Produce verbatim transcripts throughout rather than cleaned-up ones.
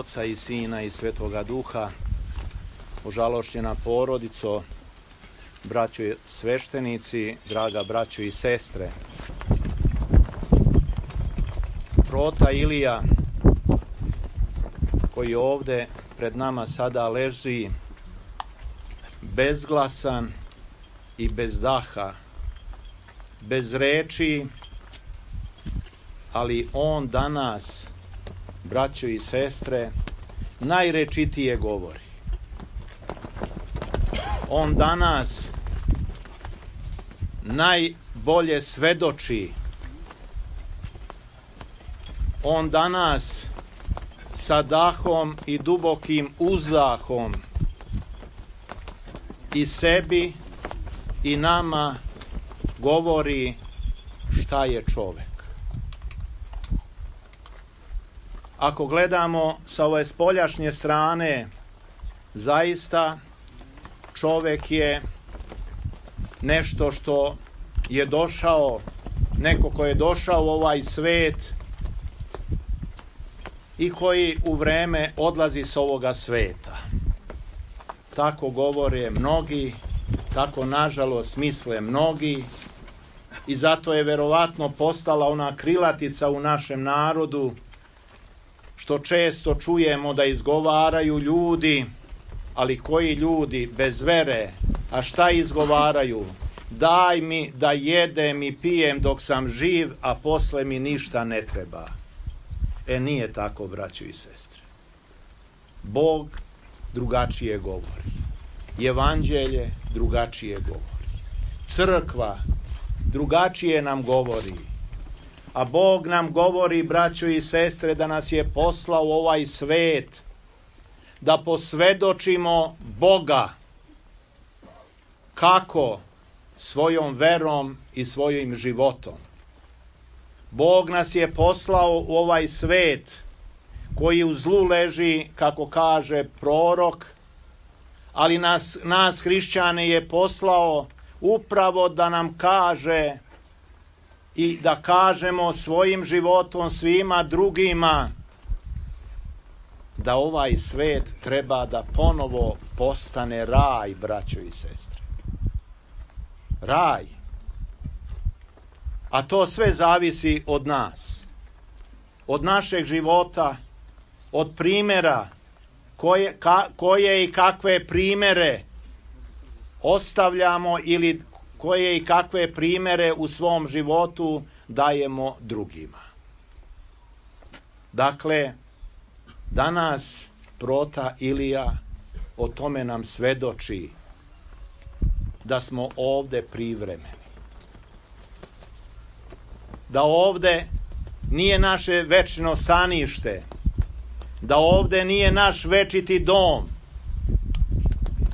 Oca i Sina i Svetoga Duha. Ožalošćena porodico, braćo sveštenici, draga braćo i sestre. Prota Ilija, koji ovde pred nama sada leži, bezglasan i bez daha, bez reči, ali on danas, braćo i sestre, najrečitije govori. On danas najbolje svedoči. On danas sa dahom i dubokim uzdahom i sebi i nama govori šta je čovek. Ako gledamo sa ove spoljašnje strane, zaista čovek je nešto što je došao, neko ko je došao u ovaj svet i koji u vreme odlazi s ovoga sveta. Tako govore mnogi, tako nažalost misle mnogi i zato je verovatno postala ona krilatica u našem narodu, što često čujemo da izgovaraju ljudi, ali koji ljudi bez vere, a šta izgovaraju? Daj mi da jedem i pijem dok sam živ, a posle mi ništa ne treba. E, nije tako, braćo i sestre. Bog drugačije govori. Evanđelje drugačije govori. Crkva drugačije nam govori. A Bog nam govori, braćo i sestre, da nas je poslao u ovaj svet, da posvedočimo Boga. Kako? Svojom verom i svojim životom. Bog nas je poslao u ovaj svet koji u zlu leži, kako kaže prorok, ali nas, nas hrišćane je poslao upravo da nam kaže i da kažemo svojim životom svima drugima da ovaj svet treba da ponovo postane raj, braćo i sestre. Raj. A to sve zavisi od nas. Od našeg života, od primjera koje, ka, koje i kakve primjere ostavljamo ili koje i kakve primjere u svom životu dajemo drugima. Dakle, danas prota Ilija o tome nam svedoči da smo ovde privremeni. Da ovde nije naše večno stanište, da ovde nije naš večiti dom,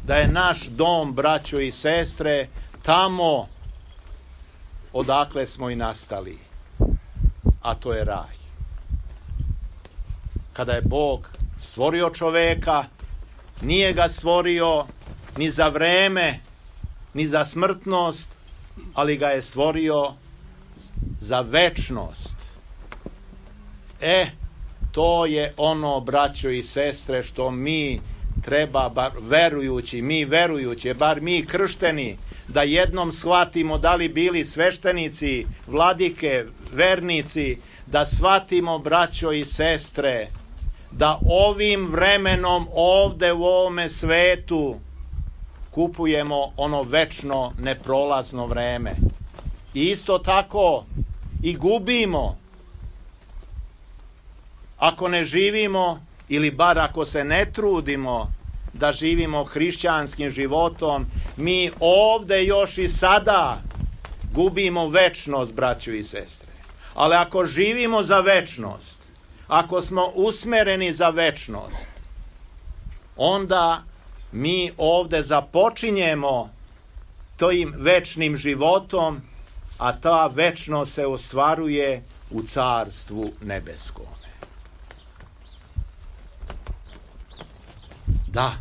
da je naš dom, braćo i sestre, tamo odakle smo i nastali, a to je raj. Kada je Bog stvorio čoveka, nije ga stvorio ni za vreme, ni za smrtnost, ali ga je stvorio za večnost. E, to je ono, braćo i sestre, što mi treba, bar verujući, mi verujući, bar mi kršteni, da jednom shvatimo, da li bili sveštenici, vladike, vernici, da shvatimo, braćo i sestre, da ovim vremenom ovde u ovome svetu kupujemo ono večno, neprolazno vreme. I isto tako i gubimo ako ne živimo, ili bar ako se ne trudimo da živimo hrišćanskim životom, mi ovde još i sada gubimo večnost, braćo i sestre. Ali ako živimo za večnost, ako smo usmereni za večnost, onda mi ovde započinjemo tim večnim životom, a ta večnost se ostvaruje u carstvu nebeskome. Da,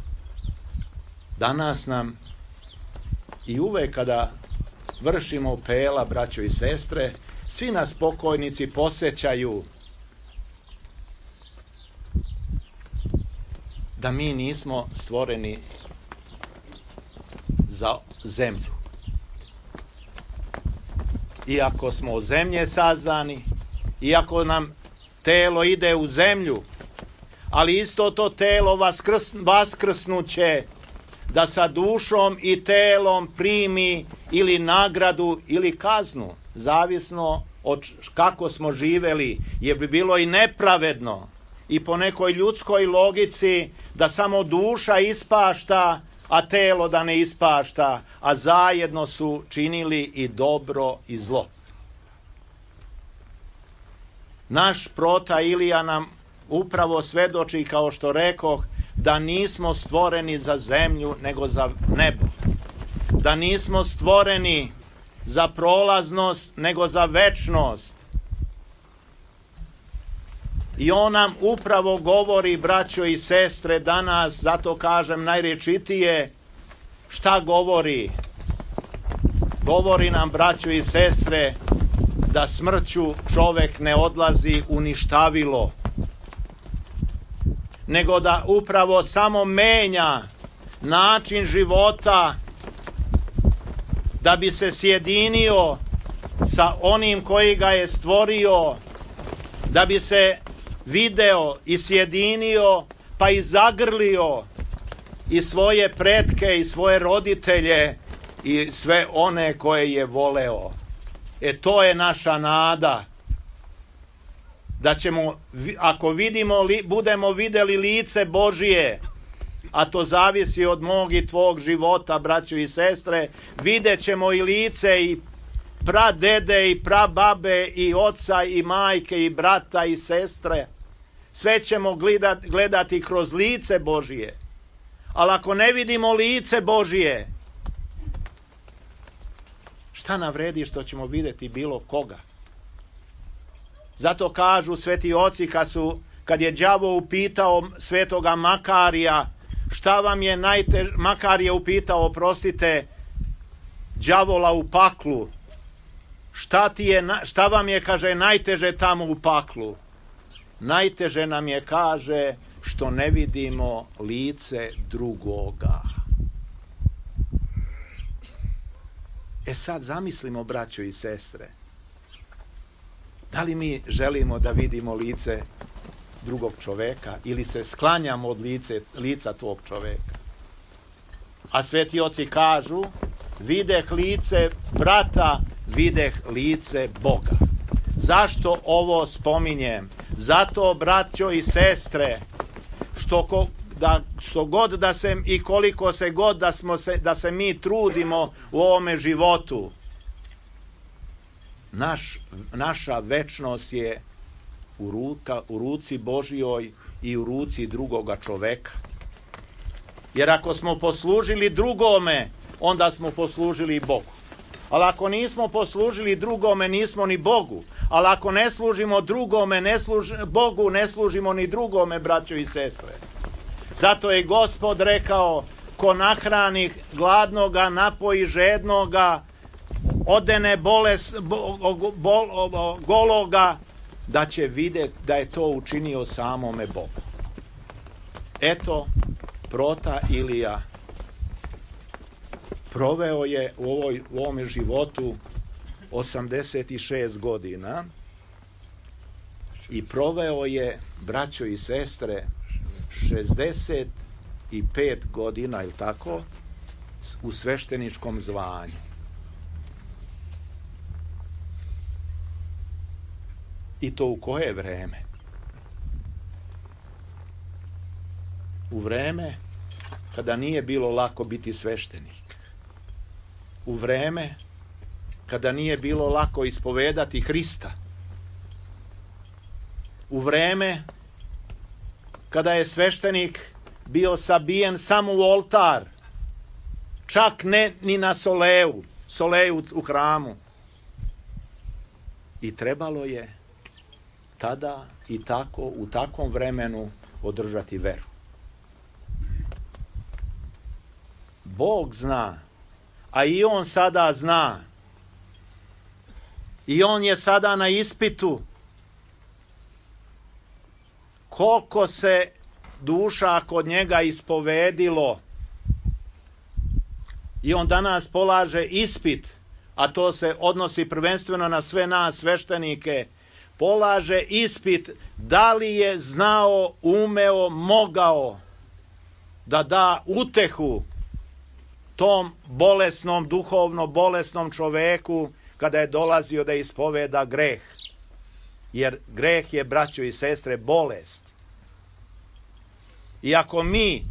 danas nam i uvek kada vršimo pela, braćo i sestre, svi nas pokojnici posjećaju da mi nismo stvoreni za zemlju. Iako smo od zemlje sazdani, iako nam telo ide u zemlju, ali isto to telo vaskrs, vaskrsnuće da sa dušom i telom primi ili nagradu ili kaznu, zavisno od kako smo živeli, jer bi bilo i nepravedno i po nekoj ljudskoj logici da samo duša ispašta, a telo da ne ispašta, a zajedno su činili i dobro i zlo. Naš prota Ilija nam upravo svedoči, kao što rekoh, da nismo stvoreni za zemlju, nego za nebo. Da nismo stvoreni za prolaznost, nego za večnost. I on nam upravo govori, braćo i sestre, danas, zato kažem najrečitije, šta govori? Govori nam, braćo i sestre, da smrću čovek ne odlazi u ništavilo, nego da upravo samo menja način života da bi se sjedinio sa onim koji ga je stvorio, da bi se video i sjedinio, pa i zagrlio i svoje pretke i svoje roditelje i sve one koje je voleo. E to je naša nada, da ćemo, ako vidimo, budemo videli lice Božije, a to zavisi od mog i tvog života, braćo i sestre, vidjet ćemo i lice i pradede i prababe i oca i majke i brata i sestre. Sve ćemo gledati, gledati kroz lice Božije. Ali ako ne vidimo lice Božije, šta nam vredi što ćemo vidjeti bilo koga? Zato kažu sveti oci, kad, su, kad je đavo upitao svetoga Makarija, šta vam je najteže, Makar je upitao, oprostite, đavola u paklu, šta, ti je, šta vam je, kaže, najteže tamo u paklu? Najteže nam je, kaže, što ne vidimo lice drugoga. E sad zamislimo, braćo i sestre, da li mi želimo da vidimo lice drugog čoveka ili se sklanjamo od lice, lica tvog čoveka? A sveti oci kažu, videh lice brata, videh lice Boga. Zašto ovo spominjem? Zato, braćo i sestre, što, ko, da, što god da se i koliko se god da, smo se, da se mi trudimo u ovome životu, naš, naša večnost je u, ruka, u ruci Božjoj i u ruci drugoga čoveka. Jer ako smo poslužili drugome, onda smo poslužili i Bogu. Ali ako nismo poslužili drugome, nismo ni Bogu. Ali ako ne služimo drugome, ne služ, Bogu, ne služimo ni drugome, braćo i sestre. Zato je Gospod rekao, ko nahrani gladnoga, napoji žednoga, odene boles, bo, bol, bo, gologa, da će vidjeti da je to učinio samome Bogu. Eto, prota Ilija proveo je u, ovoj, u ovome životu osamdeset šest godina i proveo je, braćo i sestre, šezdeset pet godina, ili tako, u svešteničkom zvanju. I to u koje vreme? U vreme kada nije bilo lako biti sveštenik. U vreme kada nije bilo lako ispovedati Hrista. U vreme kada je sveštenik bio sabijen samo u oltar, čak ne ni na soleju, soleju u hramu. I trebalo je tada i tako, u takvom vremenu održati veru. Bog zna, a i on sada zna. I on je sada na ispitu koliko se duša kod njega ispovedilo. I on danas polaže ispit, a to se odnosi prvenstveno na sve nas sveštenike, polaže ispit da li je znao, umeo, mogao da da utehu tom bolesnom, duhovno bolesnom čoveku kada je dolazio da ispoveda greh. Jer greh je, braćo i sestre, bolest. I ako mi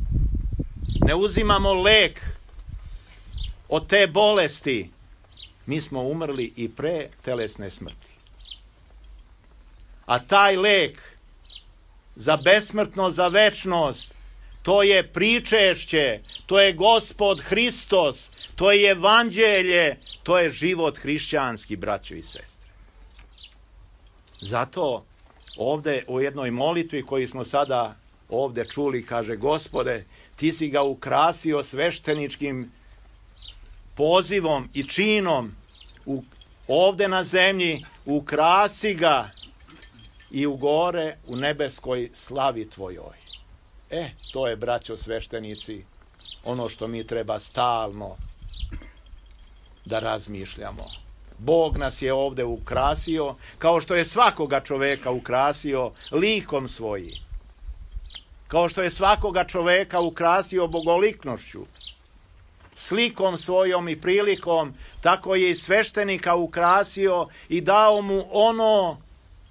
ne uzimamo lek od te bolesti, mi smo umrli i pre telesne smrti. A taj lek za besmrtnost, za večnost, to je pričešće, to je Gospod Hristos, to je evanđelje, to je život hrišćanski, braćo i sestre. Zato ovde u jednoj molitvi koju smo sada ovde čuli, kaže: Gospode, ti si ga ukrasio svešteničkim pozivom i činom u, ovde na zemlji, ukrasi ga i u gore u nebeskoj slavi tvojoj. E, to je, braćo sveštenici, ono što mi treba stalno da razmišljamo. Bog nas je ovde ukrasio, kao što je svakoga čoveka ukrasio likom svojim. Kao što je svakoga čoveka ukrasio bogoliknošću, slikom svojom i prilikom, tako je i sveštenika ukrasio i dao mu ono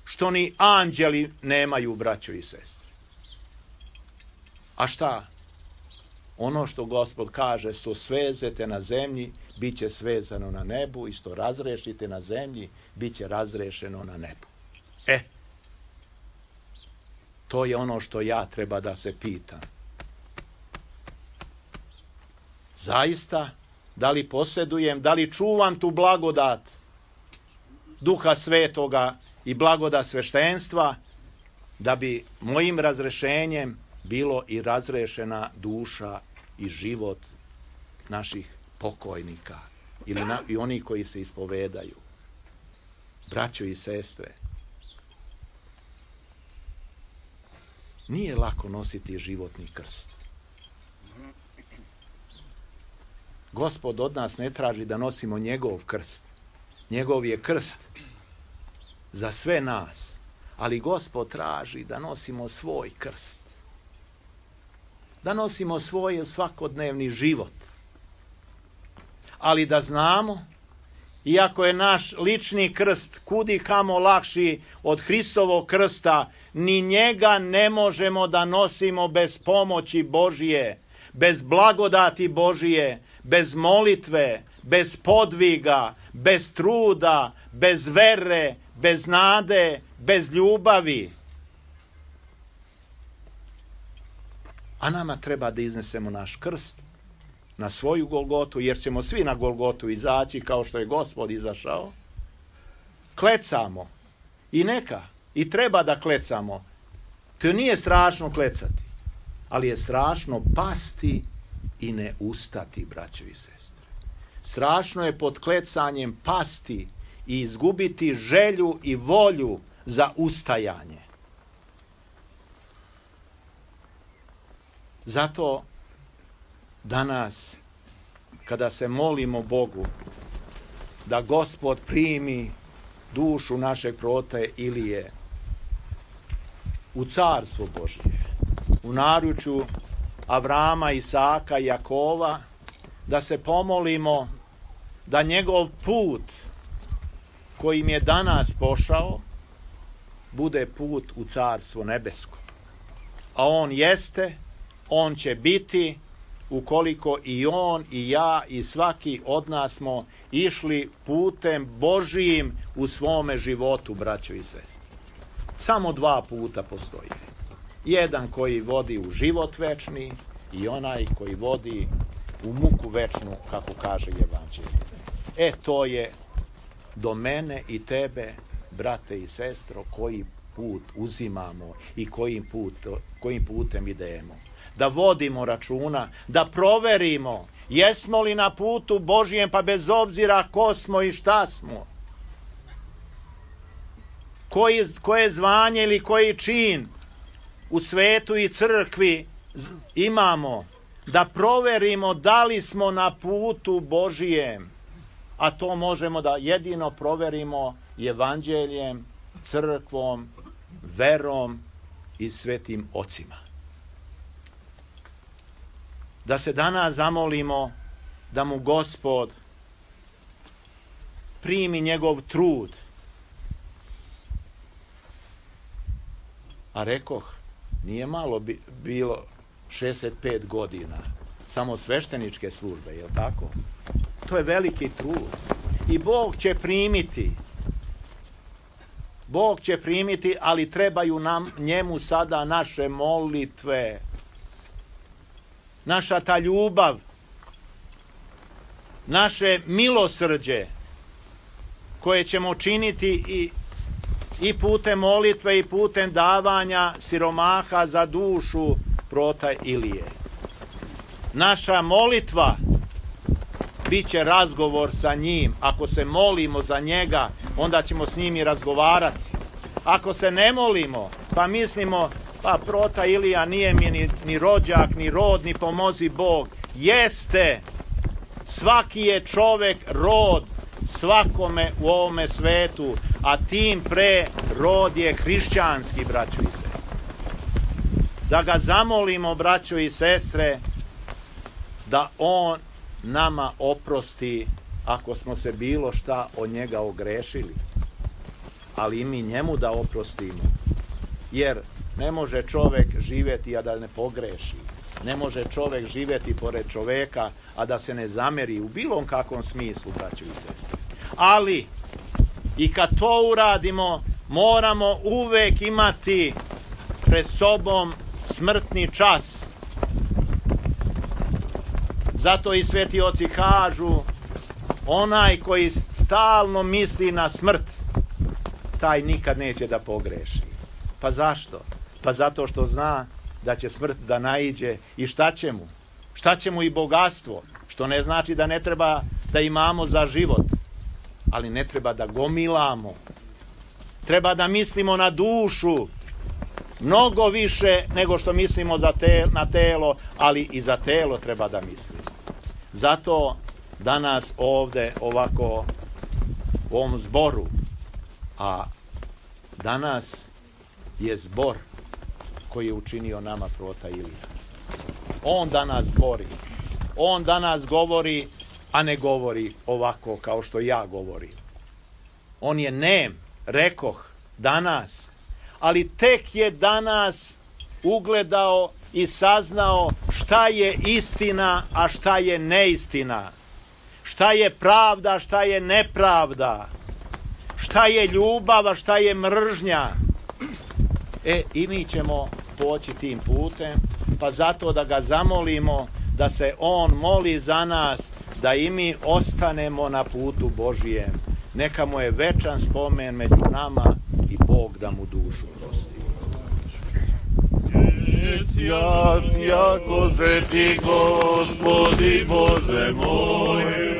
što ni anđeli nemaju, braćo i sestre. A šta? Ono što Gospod kaže, što svezete na zemlji, bit će svezano na nebu, i što razrešite na zemlji, bit će razrešeno na nebu. E, to je ono što ja treba da se pitam. Zaista, da li posjedujem, da li čuvam tu blagodat Duha Svetoga i blagodat sveštenstva, da bi mojim razrešenjem bilo i razrešena duša i život naših pokojnika ili na, i oni koji se ispovedaju. Braćo i sestre, nije lako nositi životni krst. Gospod od nas ne traži da nosimo njegov krst. Njegov je krst za sve nas, ali Gospod traži da nosimo svoj krst. Da nosimo svoj svakodnevni život. Ali da znamo, iako je naš lični krst kudi kamo lakši od Hristovog krsta, ni njega ne možemo da nosimo bez pomoći Božije, bez blagodati Božije, bez molitve, bez podviga, bez truda, bez vere, bez nade, bez ljubavi. A nama treba da iznesemo naš krst na svoju Golgotu, jer ćemo svi na Golgotu izaći kao što je Gospod izašao. Klecamo. I neka. I treba da klecamo. To nije strašno klecati, ali je strašno pasti i ne ustati, braćo i sestre. Strašno je pod klecanjem pasti i izgubiti želju i volju za ustajanje. Zato danas, kada se molimo Bogu da Gospod primi dušu našeg proroka Ilije u carstvo Božje, u naručju Avrama, Isaka i Jakova, da se pomolimo da njegov put kojim je danas pošao bude put u carstvo nebesko. A on jeste, on će biti, ukoliko i on i ja i svaki od nas smo išli putem Božijim u svome životu, braćo i sestre. Samo dva puta postoji. Jedan koji vodi u život večni i onaj koji vodi u muku večnu, kako kaže evanđelje. E, to je do mene i tebe, brate i sestro, koji put uzimamo i kojim, put, kojim putem idemo. Da vodimo računa, da proverimo jesmo li na putu Božijem, pa bez obzira ko smo i šta smo. Koji, koje zvanje ili koji čin u svetu i crkvi imamo da proverimo da li smo na putu Božijem, a to možemo da jedino proverimo evanđeljem, crkvom, verom i svetim ocima. Da se danas zamolimo da mu Gospod primi njegov trud. A rekoh, nije malo bi, bilo šezdeset pet godina, samo svešteničke službe, je li tako? To je veliki trud. I Bog će primiti. Bog će primiti, ali trebaju nam njemu sada naše molitve. Naša ta ljubav, naše milosrđe, koje ćemo činiti i, i putem molitve i putem davanja siromaha za dušu prota Ilije. Naša molitva bit će razgovor sa njim. Ako se molimo za njega, onda ćemo s njim i razgovarati. Ako se ne molimo, pa mislimo, pa prota Ilija nije mi ni, ni rođak, ni rod, ni pomozi Bog. Jeste, svaki je čovek rod svakome u ovome svetu, a tim pre rod je hrišćanski, braćo i sestre. Da ga zamolimo, braćo i sestre, da on nama oprosti ako smo se bilo šta od njega ogrešili, ali i mi njemu da oprostimo, jer ne može čovek živjeti a da ne pogreši. Ne može čovek živjeti pored čoveka a da se ne zameri u bilo kakvom smislu, braćo i sestre. Ali i kad to uradimo, moramo uvek imati pred sobom smrtni čas. Zato i sveti oci kažu, onaj koji stalno misli na smrt, taj nikad neće da pogreši. Pa zašto? Pa zato što zna da će smrt da naiđe i šta će mu? Šta će mu i bogatstvo? Što ne znači da ne treba da imamo za život, ali ne treba da gomilamo. Treba da mislimo na dušu mnogo više nego što mislimo za te, na telo, ali i za telo treba da mislimo. Zato danas ovde ovako u ovom zboru, a danas je zbor koji je učinio nama prota Ilija. On danas zbori. On danas govori, a ne govori ovako kao što ja govorim. On je nem, rekoh, danas, ali tek je danas ugledao i saznao šta je istina, a šta je neistina. Šta je pravda, šta je nepravda. Šta je ljubav, a šta je mržnja. E, i mi ćemo poći tim putem, pa zato da ga zamolimo da se on moli za nas, da i mi ostanemo na putu Božijem. Neka mu je večan spomen među nama i Bog da mu dušu prosti. Svijat, jako že ti, Gospodi Bože moj,